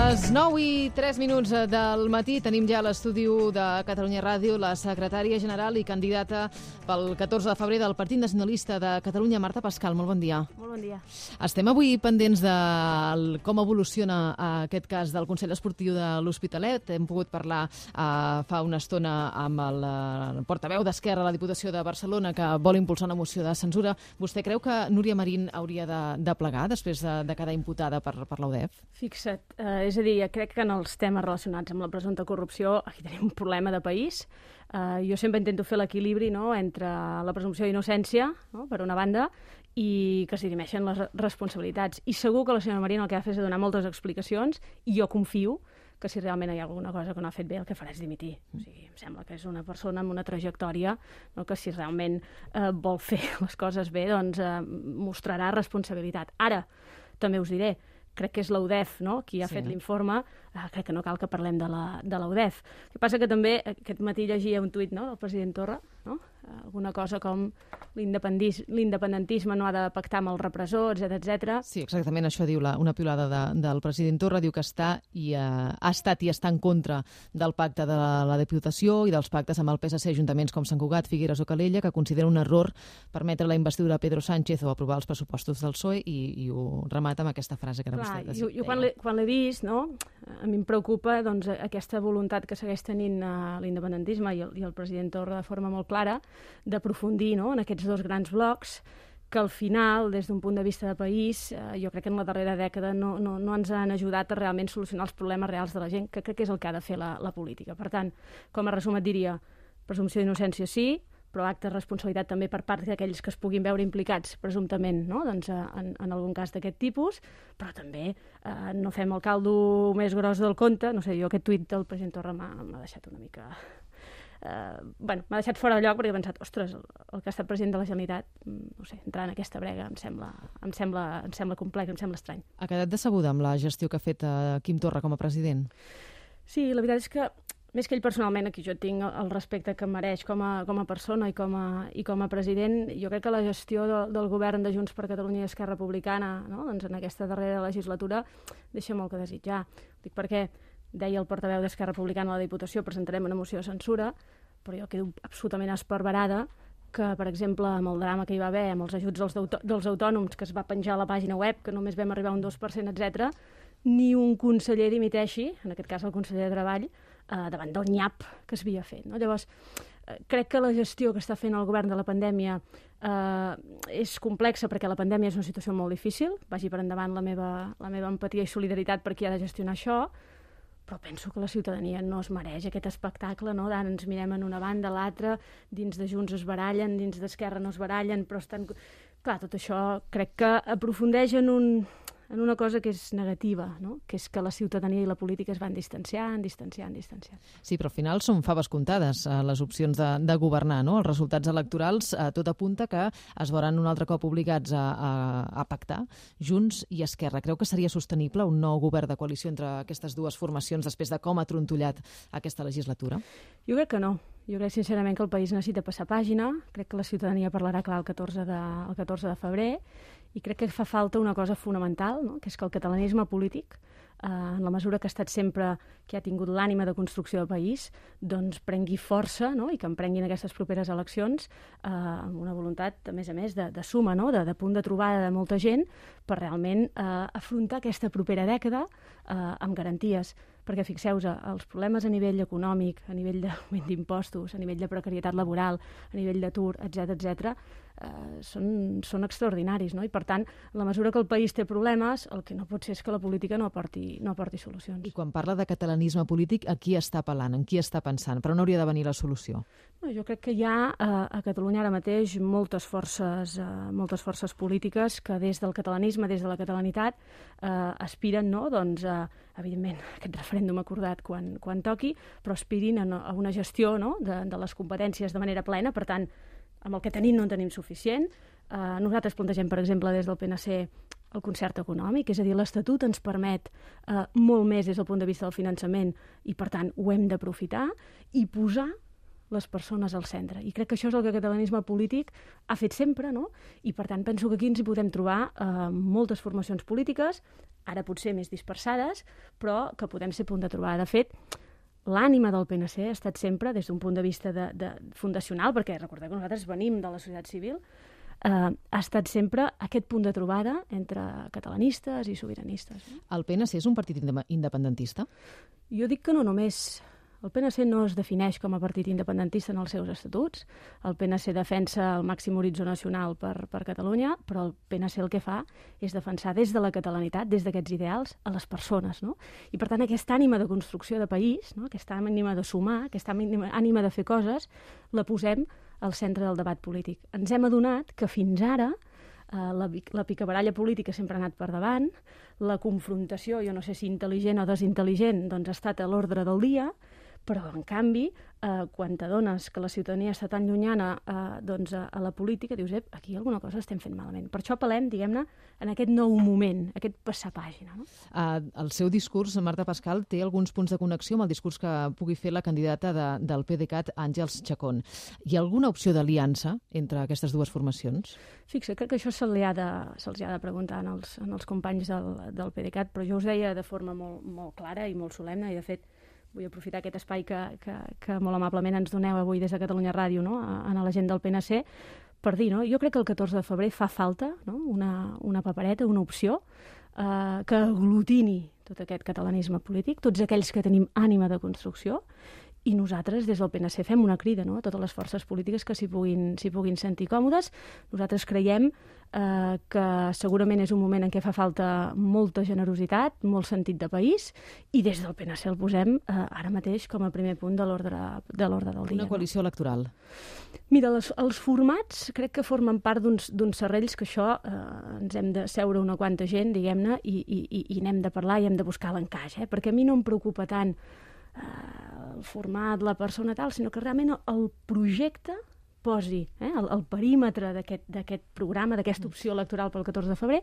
Les 9:03 del matí tenim ja a l'estudi de Catalunya Ràdio la secretària general i candidata pel 14 de febrer del Partit Nacionalista de Catalunya, Marta Pascal. Molt bon dia. Molt bon dia. Estem avui pendents de com evoluciona aquest cas del Consell Esportiu de l'Hospitalet. Hem pogut parlar fa una estona amb el portaveu d'Esquerra a la Diputació de Barcelona, que vol impulsar una moció de censura. Vostè creu que Núria Marín hauria de plegar després de quedar imputada per la UDEF? Fixa't, és a dir, crec que en els temes relacionats amb la presumpta corrupció aquí tenim un problema de país. Jo sempre intento fer l'equilibri, no?, entre la presumpció d'innocència, no?, per una banda, i que es dirimeixen les responsabilitats. I segur que la senyora Marín el que ha de fer és donar moltes explicacions, i jo confio que si realment hi ha alguna cosa que no ha fet bé, el que farà és dimitir. O sigui, em sembla que és una persona amb una trajectòria, no?, que si realment vol fer les coses bé, doncs mostrarà responsabilitat. Ara, també us diré, crec que és la UDEF, no?, qui ha fet l'informe. Crec que no cal que parlem de la UDEF. El que passa que també aquest matí llegia un tuit, no?, del president Torra, no?, alguna cosa com l'independentisme no ha de pactar amb el repressor, etc. Sí, exactament això diu una piulada del president Torra. Diu que ha estat i està en contra del pacte de la Diputació i dels pactes amb el PSC, ajuntaments com Sant Cugat, Figueres o Calella, que considera un error permetre la investidura de Pedro Sánchez o aprovar els pressupostos del PSOE, i ho remata amb aquesta frase que ara vostè deia. Jo quan l'he vist, no?, a mi em preocupa, doncs, aquesta voluntat que segueix tenint l'independentisme i el president Torra de forma molt clara d'aprofundir, no?, en aquests dos grans blocs que al final, des d'un punt de vista de país, jo crec que en la darrera dècada no ens han ajudat a realment solucionar els problemes reals de la gent, que crec que és el que ha de fer la política. Per tant, com a resum et diria, presumpció d'innocència sí, però acte de responsabilitat també per part d'aquells que es puguin veure implicats, presumptament, no?, doncs, en algun cas d'aquest tipus, però també no fem el caldo més gros del conte. No sé, jo aquest tuit del president Torra m'ha deixat una mica... m'ha deixat fora de lloc, perquè he pensat, ostres, el que ha estat president de la Generalitat, no sé, entrar en aquesta brega em sembla complex, em sembla estrany. Ha quedat decebuda amb la gestió que ha fet Quim Torra com a president? Sí, la veritat és que més que ell personalment, aquí jo tinc el respecte que em mereix com a persona i com a president, jo crec que la gestió del govern de Junts per Catalunya i Esquerra Republicana, no?, doncs en aquesta darrera legislatura deixa molt que desitjar. Dic perquè deia el portaveu d'Esquerra Republicana a la Diputació, presentarem una moció de censura, però jo quedo absolutament esparverada que, per exemple, amb el drama que hi va haver, amb els ajuts dels autònoms que es va penjar a la pàgina web, que només vam arribar a un 2%, etc., ni un conseller dimiteixi, en aquest cas el conseller de Treball, davant del nyap que s'havia fet, no? Llavors, crec que la gestió que està fent el govern de la pandèmia és complexa, perquè la pandèmia és una situació molt difícil. Vagi per endavant la meva empatia i solidaritat per qui ha de gestionar això, però penso que la ciutadania no es mereix aquest espectacle, no?, d'ara ens mirem en una banda, a l'altra, dins de Junts es barallen, dins d'Esquerra no es barallen, però estan... Clar, tot això crec que aprofundeix en una cosa que és negativa, no?, que és que la ciutadania i la política es van distanciant. Sí, però al final són faves comptades les opcions de governar, no? Els resultats electorals, tot apunta que es veuran un altre cop obligats a pactar Junts i Esquerra. Creu que seria sostenible un nou govern de coalició entre aquestes dues formacions després de com ha trontollat aquesta legislatura? Jo crec que no. Jo crec sincerament que el país necessita passar pàgina. Crec que la ciutadania parlarà clar el 14 de febrer, i crec que fa falta una cosa fonamental, no?, que és que el catalanisme polític, en la mesura que ha estat sempre, que ha tingut l'ànima de construcció del país, doncs prengui força, no?, i que emprenguin aquestes properes eleccions amb una voluntat, a més, de suma, no?, de punt de trobada de molta gent, per realment afrontar aquesta propera dècada amb garanties. Perquè fixeu-vos, els problemes a nivell econòmic, a nivell d'augment d'impostos, a nivell de precarietat laboral, a nivell d'atur, etc., són extraordinaris, no? I per tant, en la mesura que el país té problemes, el que no pot ser és que la política no aporti solucions. I quan parla de catalanisme polític, a qui està apel·lant, en qui està pensant? Per on hauria de venir la solució? No, jo crec que hi ha a Catalunya ara mateix moltes forces polítiques que des del catalanisme, des de la catalanitat, aspiren, no?, doncs, evidentment, aquest referèndum acordat quan toqui, però aspirin a una gestió, no?, de les competències de manera plena. Per tant, amb el que tenim no en tenim suficient. Nosaltres plantegem, per exemple, des del PNC el concert econòmic, és a dir, l'Estatut ens permet molt més des del punt de vista del finançament, i per tant ho hem d'aprofitar i posar les persones al centre. I crec que això és el que el catalanisme polític ha fet sempre, no? I per tant penso que aquí ens hi podem trobar moltes formacions polítiques, ara potser més dispersades, però que podem ser punt de trobada. De fet, l'ànima del PNC ha estat sempre, des d'un punt de vista fundacional, perquè recordeu que nosaltres venim de la societat civil, ha estat sempre aquest punt de trobada entre catalanistes i sobiranistes. El PNC és un partit independentista? Jo dic que no només. El PNC no es defineix com a partit independentista en els seus estatuts. El PNC defensa el màxim horitzó nacional per Catalunya, però el PNC el que fa és defensar des de la catalanitat, des d'aquests ideals, a les persones. No? I per tant, aquesta ànima de construcció de país, no? Aquesta ànima de sumar, aquesta ànima de fer coses, la posem al centre del debat polític. Ens hem adonat que fins ara la picabaralla política sempre ha anat per davant, la confrontació, jo no sé si intel·ligent o desintel·ligent, doncs ha estat a l'ordre del dia, però, en canvi, quan t'adones que la ciutadania està tan llunyana a la política, dius, aquí alguna cosa estem fent malament. Per això apel·lem, diguem-ne, en aquest nou moment, aquest passar pàgina. No? El seu discurs, Marta Pascal, té alguns punts de connexió amb el discurs que pugui fer la candidata del PDeCAT, Àngels Chacón. Hi ha alguna opció d'aliança entre aquestes dues formacions? Fixa, crec que això se'ls ha de preguntar als companys del PDeCAT, però jo us deia de forma molt clara i molt solemne, i de fet vull aprofitar aquest espai que molt amablement ens doneu avui des de Catalunya Ràdio, no? A la gent del PNC, per dir, no? Jo crec que el 14 de febrer fa falta, no? una papereta, una opció que aglutini tot aquest catalanisme polític, tots aquells que tenim ànima de construcció, i nosaltres, des del PNC, fem una crida, no? A totes les forces polítiques que s'hi puguin sentir còmodes. Nosaltres creiem que segurament és un moment en què fa falta molta generositat, molt sentit de país, i des del PNC el posem ara mateix com a primer punt de l'ordre del dia. Una coalició electoral. Mira, els formats crec que formen part d'uns serrells que això ens hem de seure una quanta gent, diguem-ne, i n'hem de parlar i hem de buscar l'encaix, perquè a mi no em preocupa tant el format, la persona tal, sinó que realment el projecte posi, el perímetre d'aquest programa, d'aquesta opció electoral pel 14 de febrer,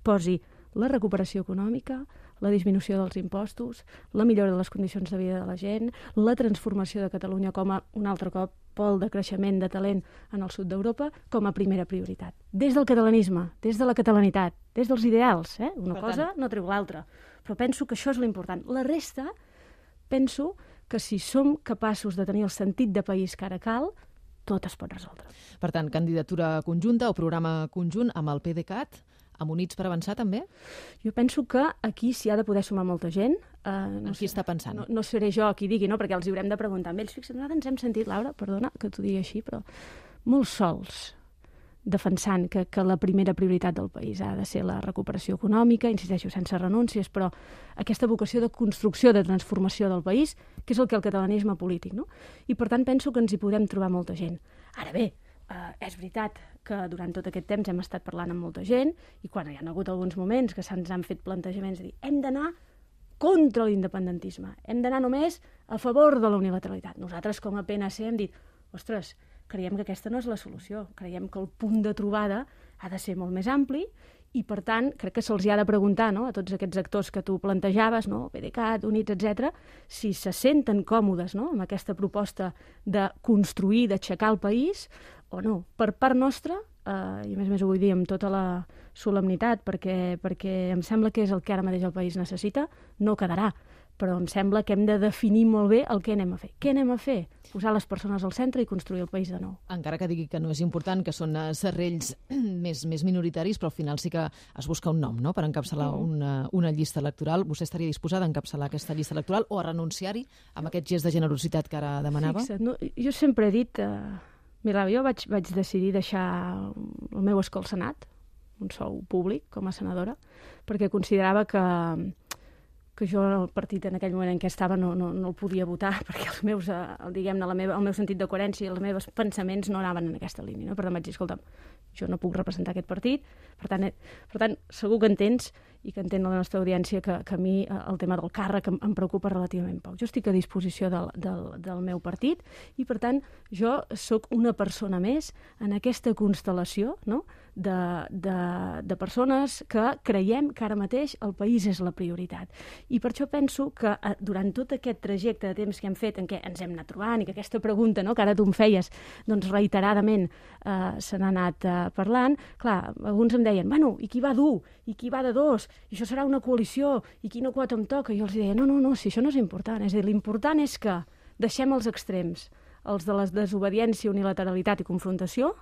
posi la recuperació econòmica, la disminució dels impostos, la millora de les condicions de vida de la gent, la transformació de Catalunya com a, un altre cop, pol de creixement de talent en el sud d'Europa, com a primera prioritat. Des del catalanisme, des de la catalanitat, des dels ideals. Una cosa no treu l'altra. Però penso que això és l'important. La resta, penso que si som capaços de tenir el sentit de país que ara cal, tot es pot resoldre. Per tant, candidatura conjunta o programa conjunt amb el PDeCAT, amb Units per Avançar també? Jo penso que aquí s'hi ha de poder sumar molta gent. En qui està pensant? No seré jo qui digui, no? Perquè els hi haurem de preguntar amb ells. Fixa't, nosaltres ens hem sentit, Laura, perdona que t'ho digui així, però molt sols defensant que la primera prioritat del país ha de ser la recuperació econòmica, insisteixo, sense renúncies, però aquesta vocació de construcció, de transformació del país, que és el que el catalanisme polític, no? I per tant penso que ens hi podem trobar molta gent. Ara bé, és veritat que durant tot aquest temps hem estat parlant amb molta gent i quan hi ha hagut alguns moments que se'ns han fet plantejaments de dir hem d'anar contra l'independentisme, hem d'anar només a favor de la unilateralitat. Nosaltres com a PNC hem dit, ostres, creiem que aquesta no és la solució. Creiem que el punt de trobada ha de ser molt més ampli i, per tant, crec que se'ls ha de preguntar, no?, a tots aquests actors que tu plantejaves, no?, PDeCAT, Units, etc., si se senten còmodes, no?, amb aquesta proposta de construir, d'aixecar el país o no. Per part nostra, i a més ho vull dir amb tota la solemnitat, perquè em sembla que és el que ara mateix el país necessita, no quedarà. Però em sembla que hem de definir molt bé el que anem a fer. Què anem a fer? Posar les persones al centre i construir el país de nou. Encara que digui que no és important, que són serrells més minoritaris, però al final sí que es busca un nom, no?, per encapçalar una llista electoral. Vostè estaria disposada a encapçalar aquesta llista electoral o a renunciar-hi amb aquest gest de generositat que ara demanava? Fixa't, no? Jo sempre he dit... Mira, jo vaig decidir deixar el meu escó al Senat, un sou públic com a senadora, perquè considerava que jo el partit en aquell moment en què estava no el podia votar perquè els meus, diguem-ne, el meu sentit de coherència i els meus pensaments no anaven en aquesta línia. No? Per tant vaig dir, escolta'm, jo no puc representar aquest partit, per tant segur que entens i que entén la nostra audiència que a mi el tema del càrrec em preocupa relativament poc. Jo estic a disposició del meu partit i, per tant, jo sóc una persona més en aquesta constel·lació, no?, de persones que creiem que ara mateix el país és la prioritat. I per això penso que durant tot aquest trajecte de temps que hem fet, en què ens hem anat trobant, i que aquesta pregunta, no, que ara tu em feies, doncs reiteradament se n'ha anat parlant, clar, alguns em deien, bueno, i qui va dur? I qui va de dos? I això serà una coalició? I quina quota em toca? I jo els deia, no, si això no és important. És a dir, l'important és que deixem els extrems, els de la desobediència, unilateralitat i confrontació,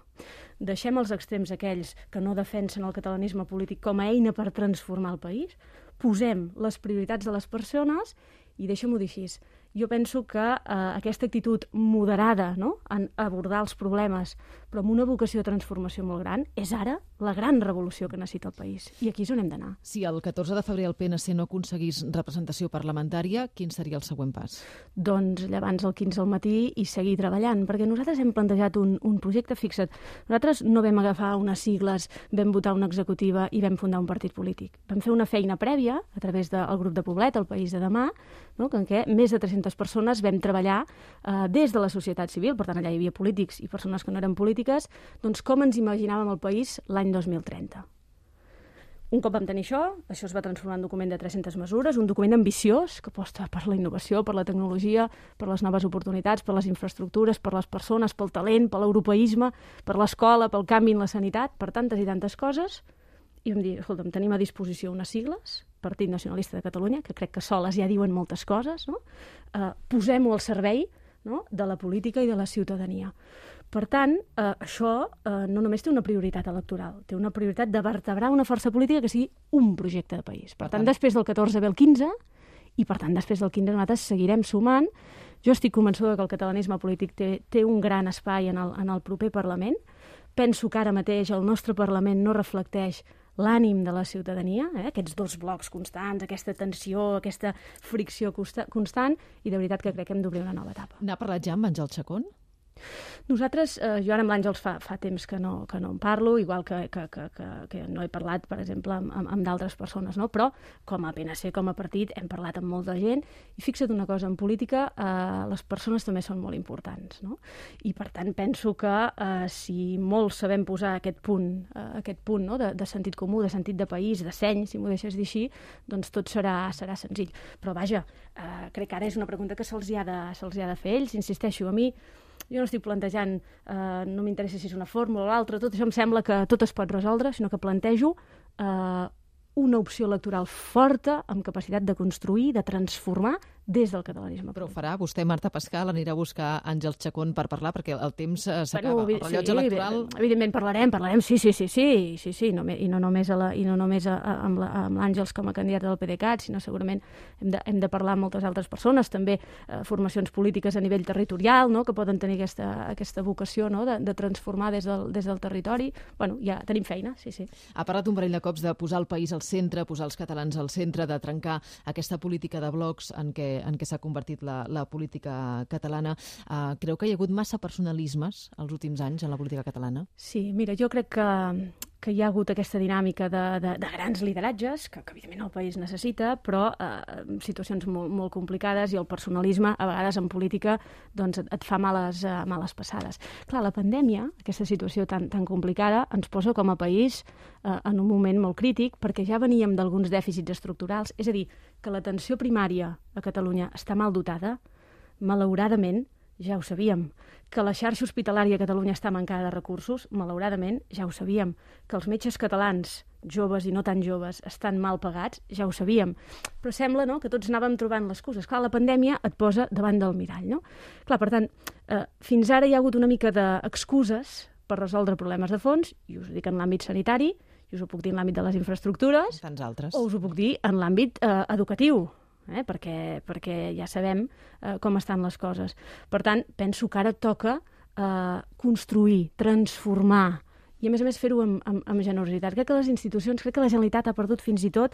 deixem els extrems aquells que no defensen el catalanisme polític com a eina per transformar el país, posem les prioritats de les persones i deixem-ho dir així. Jo penso que aquesta actitud moderada, no?, en abordar els problemes, però amb una vocació de transformació molt gran, és ara la gran revolució que necessita el país. I aquí és on hem d'anar. Si el 14 de febrer el PNC no aconseguís representació parlamentària, quin seria el següent pas? Doncs llevants al 15 al matí i seguir treballant, perquè nosaltres hem plantejat un projecte, fixa't, nosaltres no vam agafar unes sigles, vam votar una executiva i vam fundar un partit polític. Vam fer una feina prèvia a través del grup de Poblet, el País de Demà, no?, en què més de 300 persones vam treballar des de la societat civil, per tant allà hi havia polítics i persones que no eren polítiques, doncs com ens imaginàvem el país l'any 2030. Un cop vam tenir això es va transformar en un document de 300 mesures, un document ambiciós que aposta per la innovació, per la tecnologia, per les noves oportunitats, per les infraestructures, per les persones, pel talent, per l'europeisme, per l'escola, pel canvi en la sanitat, per tantes i tantes coses. I vam dir, escolta'm, tenim a disposició unes sigles, Partit Nacionalista de Catalunya, que crec que soles ja diuen moltes coses, no? Posem-ho al servei, no?, de la política i de la ciutadania. Per tant, això no només té una prioritat electoral, té una prioritat de vertebrar una força política que sigui un projecte de país. Per tant, després del 14 ve el 15, i per tant, després del 15 nosaltres seguirem sumant. Jo estic convençuda que el catalanisme polític té un gran espai en el proper Parlament. Penso que ara mateix el nostre Parlament no reflecteix l'ànim de la ciutadania, aquests dos blocs constants, aquesta tensió, aquesta fricció constant, i de veritat que crec que hem d'obrir una nova etapa. N'ha parlat ja amb Àngel Chacón? Nosaltres, jo ara amb l'Àngels fa temps que no en parlo, igual que no he parlat, per exemple, amb d'altres persones, no? Però com a PNC, com a partit, hem parlat amb molta gent, i fixa't una cosa, en política les persones també són molt importants, no? I per tant penso que si molts sabem posar aquest punt, no?, de sentit comú, de sentit de país, de seny, si m'ho deixes dir així, doncs tot serà senzill. Però vaja, crec que ara és una pregunta que se'ls hi ha de fer ells, insisteixo, a mi jo no estic plantejant, no m'interessa si és una fórmula o l'altra, tot això em sembla que tot es pot resoldre, sinó que plantejo una opció electoral forta, amb capacitat de construir, de transformar des del catalanisme. Però ho farà? Vostè, Marta Pascal, anirà a buscar Àngel Chacón per parlar, perquè el temps s'acaba. El rellotge electoral... Evidentment parlarem, sí, i no només amb l'Àngels com a candidat del PDeCAT, sinó segurament hem de parlar amb moltes altres persones, també formacions polítiques a nivell territorial, no?, que poden tenir aquesta vocació, no?, de transformar des del territori. Bueno, ja tenim feina, sí. Ha parlat un parell de cops de posar el país al centre, posar els catalans al centre, de trencar aquesta política de blocs en què s'ha convertit la política catalana. Creu que hi ha hagut massa personalismes els últims anys en la política catalana? Sí, mira, jo crec que hi ha hagut aquesta dinàmica de grans lideratges, que evidentment el país necessita, però situacions molt complicades, i el personalisme, a vegades en política, doncs et fa males passades. Clar, la pandèmia, aquesta situació tan complicada, ens posa com a país en un moment molt crític, perquè ja veníem d'alguns dèficits estructurals, és a dir, que l'atenció primària a Catalunya està mal dotada, malauradament, ja ho sabíem. Que la xarxa hospitalària a Catalunya està mancada de recursos, malauradament, ja ho sabíem. Que els metges catalans, joves i no tan joves, estan mal pagats, ja ho sabíem. Però sembla, no?, que tots anàvem trobant les excuses. Clar, la pandèmia et posa davant del mirall, no? Clar, per tant, fins ara hi ha hagut una mica d'excuses per resoldre problemes de fons, i us ho dic en l'àmbit sanitari, i us ho puc dir en l'àmbit de les infraestructures, tants altres, o us ho puc dir en l'àmbit educatiu, perquè ja sabem com estan les coses. Per tant, penso que ara toca construir, transformar, i a més fer-ho amb generositat. Crec que les institucions, crec que la Generalitat ha perdut fins i tot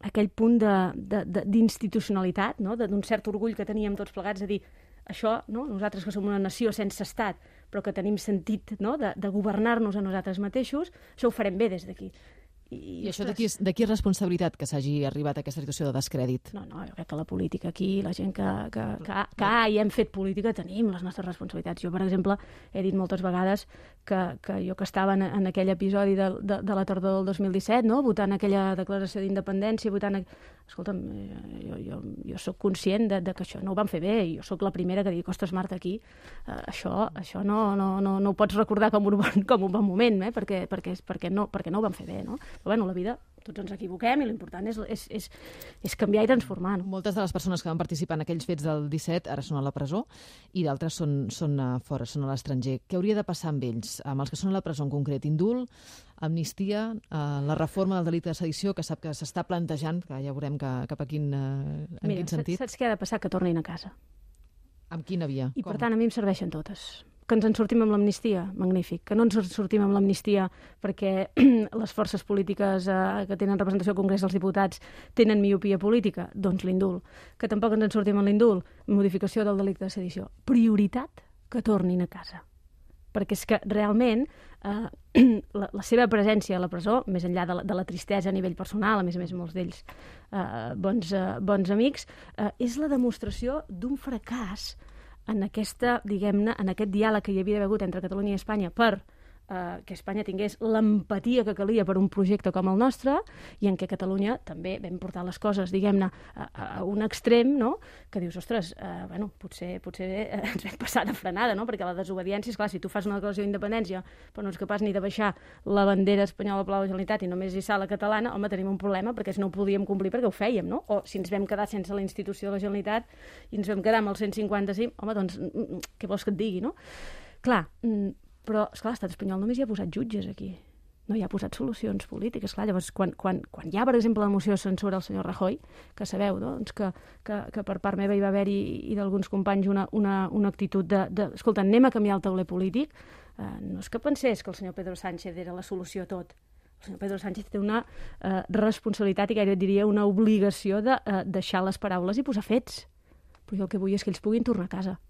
aquell punt d'institucionalitat, no?, d'un cert orgull que teníem tots plegats, de dir, això, no?, nosaltres que som una nació sense estat, però que tenim sentit, no?, de governar-nos a nosaltres mateixos, això ho farem bé des d'aquí. I això de qui és responsabilitat que s'hagi arribat a aquesta situació de descrèdit? No, jo crec que la política aquí, la gent que ha i hem fet política, tenim les nostres responsabilitats. Jo, per exemple, he dit moltes vegades que jo que estava en aquell episodi de la tardor del 2017, no? Votant aquella declaració d'independència, Escolta'm, jo sóc conscient de que això no ho vam fer bé, i jo sóc la primera que dic, ostres, Marta, aquí això no ho pots recordar com un bon moment, perquè no ho vam fer bé, no? Però bueno, la vida, tots ens equivoquem i l'important és canviar i transformar. No? Moltes de les persones que van participar en aquells fets del 17 ara són a la presó i d'altres són fora, són a l'estranger. Què hauria de passar amb ells? Amb els que són a la presó en concret? Indult, amnistia, la reforma del delicte de sedició, que sap que s'està plantejant, que ja veurem cap a quin sentit. Saps què ha de passar? Que tornin a casa. Amb quina via? I per tant a mi em serveixen totes. Que ens en sortim amb l'amnistia? Magnífic. Que no ens en sortim amb l'amnistia perquè les forces polítiques que tenen representació al Congrés dels Diputats tenen miopia política? Doncs l'indult. Que tampoc ens en sortim amb l'indult? Modificació del delicte de sedició. Prioritat, que tornin a casa. Perquè és que realment la seva presència a la presó, més enllà de la tristesa a nivell personal, a més molts d'ells bons amics, és la demostració d'un fracàs en aquesta, diguem-ne, en aquest diàleg que hi havia d'haver hagut entre Catalunya i Espanya per que Espanya tingués l'empatia que calia per un projecte com el nostre i en què Catalunya també vam portar les coses, diguem-ne, a un extrem, no? Que dius, ostres, potser ens vam passar de frenada, no? Perquè la desobediència, esclar, si tu fas una declaració d'independència però no ets capaç ni de baixar la bandera espanyola blau de la Generalitat i només hissar la catalana, home, tenim un problema perquè si no ho podíem complir perquè ho fèiem, no? O si ens vam quedar sense la institució de la Generalitat i ens vam quedar amb el 155, home, doncs, què vols que et digui, no? Clar, però, esclar, l'estat espanyol només hi ha posat jutges aquí. No hi ha posat solucions polítiques. Clar, llavors, quan hi ha, per exemple, la moció de censura al senyor Rajoy, que sabeu, doncs, que per part meva hi va haver i d'alguns companys una actitud escolta, anem a canviar el tauler polític, no és que pensés que el senyor Pedro Sánchez era la solució a tot. El senyor Pedro Sánchez té una responsabilitat i gairebé diria una obligació de deixar les paraules i posar fets. Però jo el que vull és que ells puguin tornar a casa.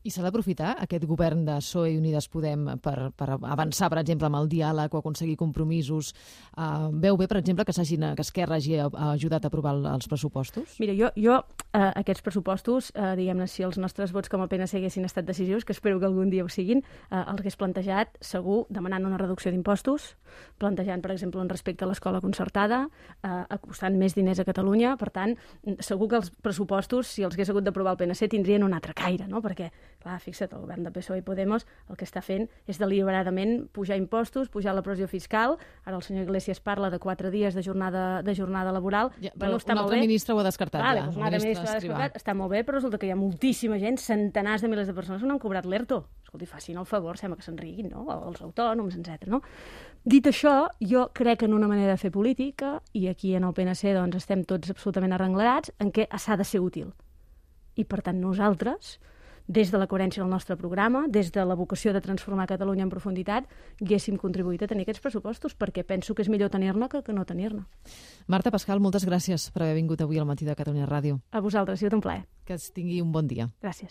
I s'ha d'aprofitar aquest govern de PSOE i Unides Podem per avançar, per exemple, amb el diàleg o aconseguir compromisos. Veu bé, per exemple, que Esquerra hagi ajudat a aprovar els pressupostos? Mira, jo aquests pressupostos, diguem-ne, si els nostres vots com a PNC haguessin estat decisius, que espero que algun dia ho siguin, els hagués plantejat segur demanant una reducció d'impostos, plantejant, per exemple, un respecte a l'escola concertada, acostant més diners a Catalunya. Per tant, segur que els pressupostos, si els hagués hagut d'aprovar el PNC, tindrien un altre caire, no? Perquè clar, fixa't, el govern de PSOE i Podemos el que està fent és deliberadament pujar impostos, pujar la pressió fiscal. Ara el senyor Iglesias parla de 4 dies de jornada laboral. Ja, però un altre ministre ho ha descartat. Doncs un altre ministre ho ha descartat. Està molt bé, però resulta que hi ha moltíssima gent, centenars de milers de persones que no han cobrat l'ERTO. Escolti, facin el favor, sembla que se'n riguin, no? Els autònoms, etc. No? Dit això, jo crec en una manera de fer política, i aquí en el PNC doncs, estem tots absolutament arrenglerats, en què s'ha de ser útil. I per tant nosaltres, des de la coherència del nostre programa, des de la vocació de transformar Catalunya en profunditat, haguéssim contribuït a tenir aquests pressupostos, perquè penso que és millor tenir-ne que no tenir-ne. Marta Pascal, moltes gràcies per haver vingut avui al Matí de Catalunya Ràdio. A vosaltres, ha sigut un plaer. Que tingui un bon dia. Gràcies.